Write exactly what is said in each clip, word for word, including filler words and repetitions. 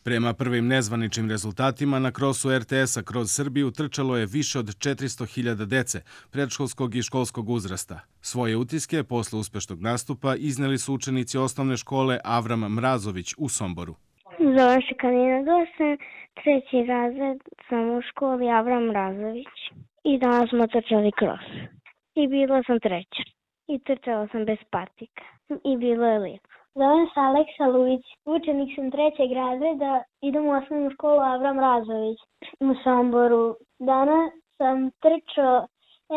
Prema prvim nezvaničnim rezultatima na krosu er te esa kroz Srbiju trčalo je više od četiristo hiljada dece predškolskog i školskog uzrasta. Svoje utiske posle uspešnog nastupa izneli su učenici osnovne škole Avram Mrazović u Somboru. Zovem se Kalina Dosan, treći razred sam u školi Avram Mrazović i danas smo trčali kros. I bila sam treća i trčala sam bez patika i bilo je lijepo. Zovem se Aleksa Luić, učenik sam trećeg razreda, idem u osnovnu školu Avram Mrazović u Somboru. Danas sam trčao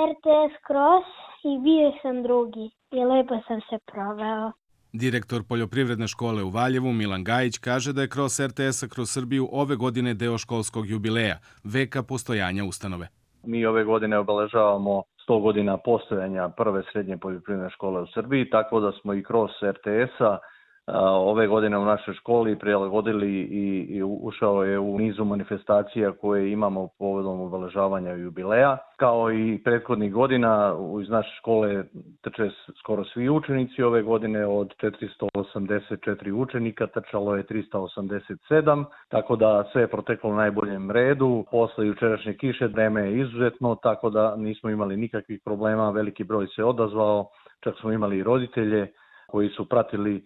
er te es Cross i bio sam drugi i lepo sam se proveo. Direktor Poljoprivredne škole u Valjevu Milan Gajić kaže da je kros er te esa kroz Srbiju ove godine deo školskog jubileja, veka postojanja ustanove. Mi ove godine obeležavamo sto godina postojanja prve srednje poljoprivredne škole u Srbiji, tako da smo i kros er te esa ove godine u našoj školi prilagodili i, i ušao je u nizu manifestacija koje imamo povodom obeležavanja jubileja. Kao i prethodnih godina iz naše škole trče skoro svi učenici. Ove godine od četiristo osamdeset četiri učenika trčalo je trista osamdeset sedam, tako da sve je proteklo u najboljem redu. Posle jučerašnje kiše vreme je izuzetno, tako da nismo imali nikakvih problema, veliki broj se odazvao, čak smo imali i roditelje koji su pratili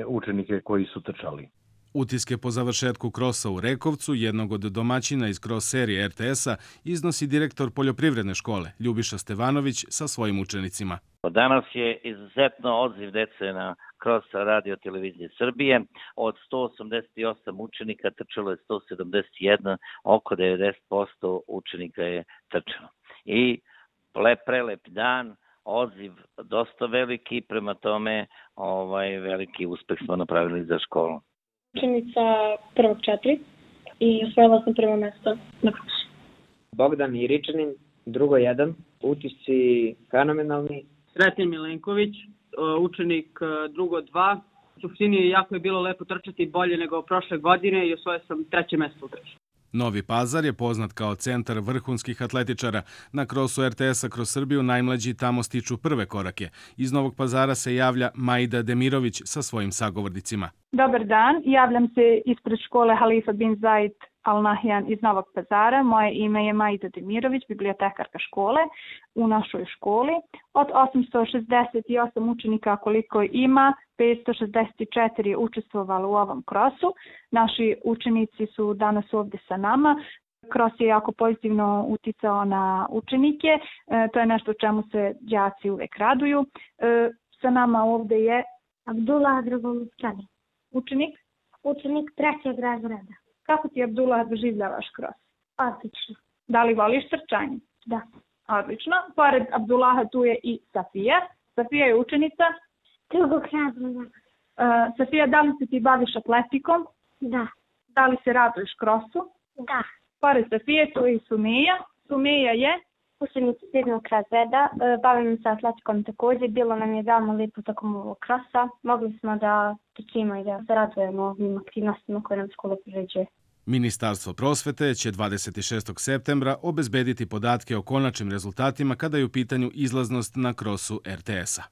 učenike koji su trčali. Utiske po završetku krosa u Rekovcu, jednog od domaćina iz kros serije er te esa, iznosi direktor Poljoprivredne škole Ljubiša Stevanović sa svojim učenicima. Danas je izuzetno odziv dece na kros radio televizije Srbije. Od sto osamdeset osam učenika trčalo je sto sedamdeset jedan, oko devedeset posto učenika je trčalo. I lep, prelep dan, odziv dosta veliki, prema tome ovaj, veliki uspeh smo napravili za školu. Učenica prvog četiri i osvojila sam prvo mesto na krosu. Bogdan Iričanin, drugo jedan, utisci fenomenalni. Sretan Milenković, učenik drugo dva. U suštini jako je bilo lepo trčati, bolje nego prošle godine i osvojio sam treće mesto u trči. Novi Pazar je poznat kao centar vrhunskih atletičara. Na krosu er te esa kroz Srbiju najmlađi tamo stiču prve korake. Iz Novog Pazara se javlja Majda Demirović sa svojim sagovornicima. Dobar dan, javljam se ispred škole Halifa bin Zaid Al Nahyan iz Novog Pazara. Moje ime je Majda Demirović, bibliotekarka škole u našoj školi. Od osamsto šezdeset osam učenika koliko ima, petsto šezdeset četiri je učestvovalo u ovom krosu. Naši učenici su danas ovdje sa nama. Kros je jako pozitivno uticao na učenike. E, to je nešto o čemu se đaci uvek raduju. E, sa nama ovdje je Abdullah Dragoljubčani. Učenik? Učenik trećeg razreda. Kako ti, Abdullah, doživljavaš kros? Odlično. Da li voliš trčanje? Da. Odlično. Pored Abdullaha tu je i Safija. Safija je učenica drugog razreda. Uh, Safija, da li se ti baviš atletikom? Da. Da li se raduješ krosu? Da. Pored Safije tu je i Sumija. Sumija je učenica sedmog razreda. Bavim se atletikom također. Bilo nam je veoma lijepo tokom ovog krosa. Mogli smo da trčimo i da se radujemo ovim aktivnostima koje nam škola priređuje. Ministarstvo prosvete će dvadeset šestog septembra obezbediti podatke o konačnim rezultatima kada je u pitanju izlaznost na krosu er te esa.